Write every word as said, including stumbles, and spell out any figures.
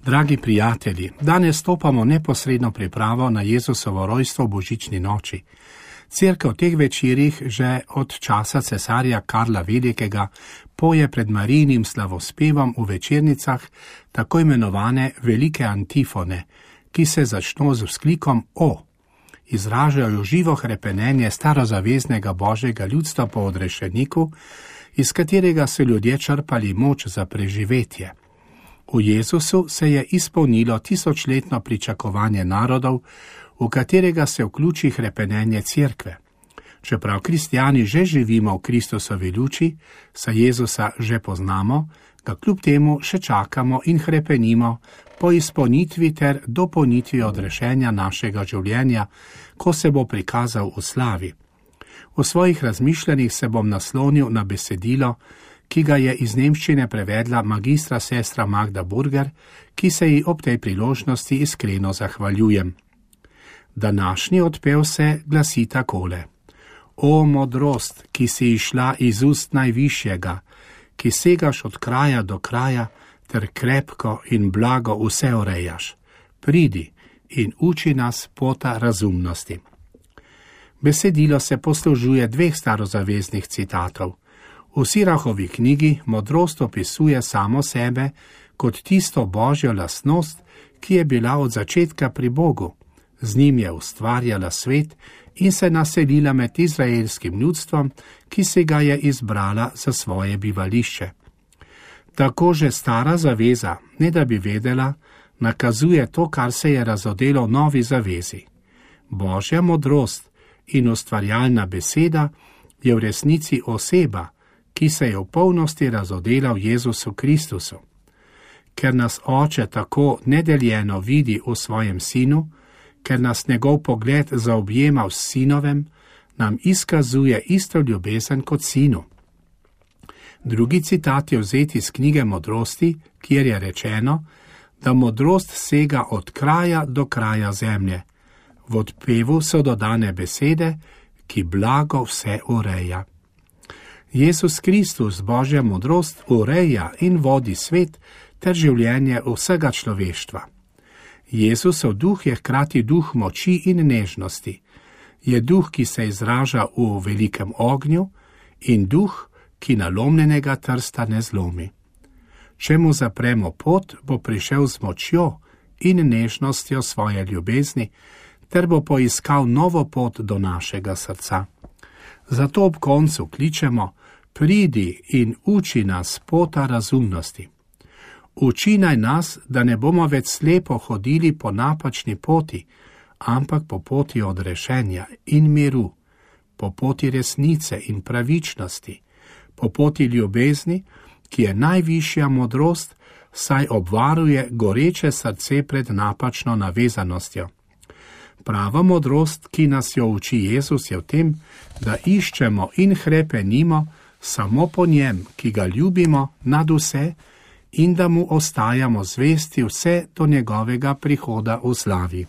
Dragi prijatelji, danes stopamo neposredno pripravo na Jezusovo rojstvo v božični noči. Cerkev v teh večerih že od časa cesarja Karla Velikega poje pred Marijinim slavospevom v večernicah tako imenovane velike antifone, ki se začno z vzklikom O. Izražajo živo hrepenenje starozaveznega božjega ljudstva po odrešeniku, iz katerega so ljudje črpali moč za preživetje. V Jezusu se je izpolnilo tisočletno pričakovanje narodov, v katerega se vključi hrepenenje cerkve. Čeprav kristjani že živimo v Kristusovi luči, saj Jezusa že poznamo, ga kljub temu še čakamo in hrepenimo po izpolnitvi ter dopolnitvi odrešenja našega življenja, ko se bo prikazal v slavi. V svojih razmišljanjih se bom naslonil na besedilo, ki ga je iz nemščine prevedla magistra sestra Magda Burger, ki se ji ob tej priložnosti iskreno zahvaljujem. Današnji odpev se glasi takole: O modrost, ki si išla iz ust najvišjega, ki segaš od kraja do kraja, ter krepko in blago vse urejaš, pridi in uči nas pota razumnosti. Besedilo se poslužuje dveh starozaveznih citatov. V Sirahovi knjigi modrost opisuje samo sebe kot tisto božjo lastnost, ki je bila od začetka pri Bogu. Z njim je ustvarjala svet in se naselila med izraelskim ljudstvom, ki se ga je izbrala za svoje bivališče. Tako že stara zaveza, ne da bi vedela, nakazuje to, kar se je razodelo v novi zavezi. Božja modrost in ustvarjalna beseda je v resnici oseba, ki se je v polnosti razodela v Jezusu Kristusu. Ker nas Oče tako nedeljeno vidi v svojem sinu, ker nas njegov pogled zaobjema v sinovem, nam izkazuje isto ljubezen kot sinu. Drugi citat je vzet iz knjige Modrosti, kjer je rečeno, da modrost sega od kraja do kraja zemlje. V odpevu so dodane besede, ki blago vse ureja. Jezus Kristus, Božja modrost, ureja in vodi svet ter življenje vsega človeštva. Jezusov duh je hkrati duh moči in nežnosti. Je duh, ki se izraža v velikem ognju, in duh, ki nalomljenega trsta ne zlomi. Če mu zapremo pot, bo prišel z močjo in nežnostjo svoje ljubezni, ter bo poiskal novo pot do našega srca. Zato ob koncu kličemo: pridi in uči nas pota razumnosti. Uči naj nas, da ne bomo več slepo hodili po napačni poti, ampak po poti odrešenja in miru, po poti resnice in pravičnosti, po poti ljubezni, ki je najvišja modrost, saj obvaruje goreče srce pred napačno navezanostjo. Prava modrost, ki nas jo uči Jezus, je v tem, da iščemo in hrepenimo samo po njem, ki ga ljubimo nad vse, in da mu ostajamo zvesti vse do njegovega prihoda v slavi.